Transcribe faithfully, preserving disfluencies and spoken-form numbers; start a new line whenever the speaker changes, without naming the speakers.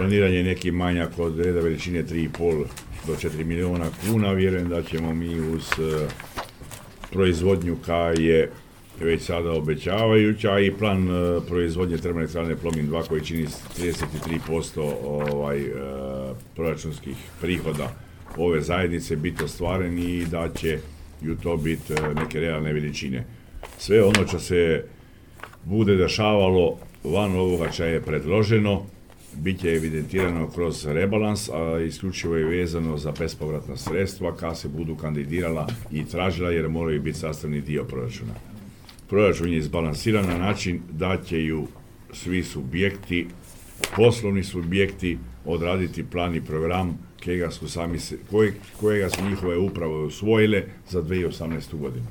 planiran je neki manjak od reda veličine tri i pol do četiri miliona kuna. Vjerujem da ćemo mi uz proizvodnju koja je već sada obećavajuća i plan proizvodnje termoelektrane Plomin dva koji čini trideset tri posto ovaj, proračunskih prihoda ove zajednice biti ostvaren i da će i u to biti neke realne veličine. Sve ono što se bude dešavalo van ovoga što je predloženo, bit će evidentirano kroz rebalans, a isključivo je vezano za bespovratna sredstva kada se budu kandidirala i tražila jer moraju biti sastavni dio proračuna. Proračun je izbalansiran na način da će ju svi subjekti, poslovni subjekti odraditi plan i program kojega su, sami se, kojega su njihove uprave usvojile za dvije tisuće osamnaestu godinu.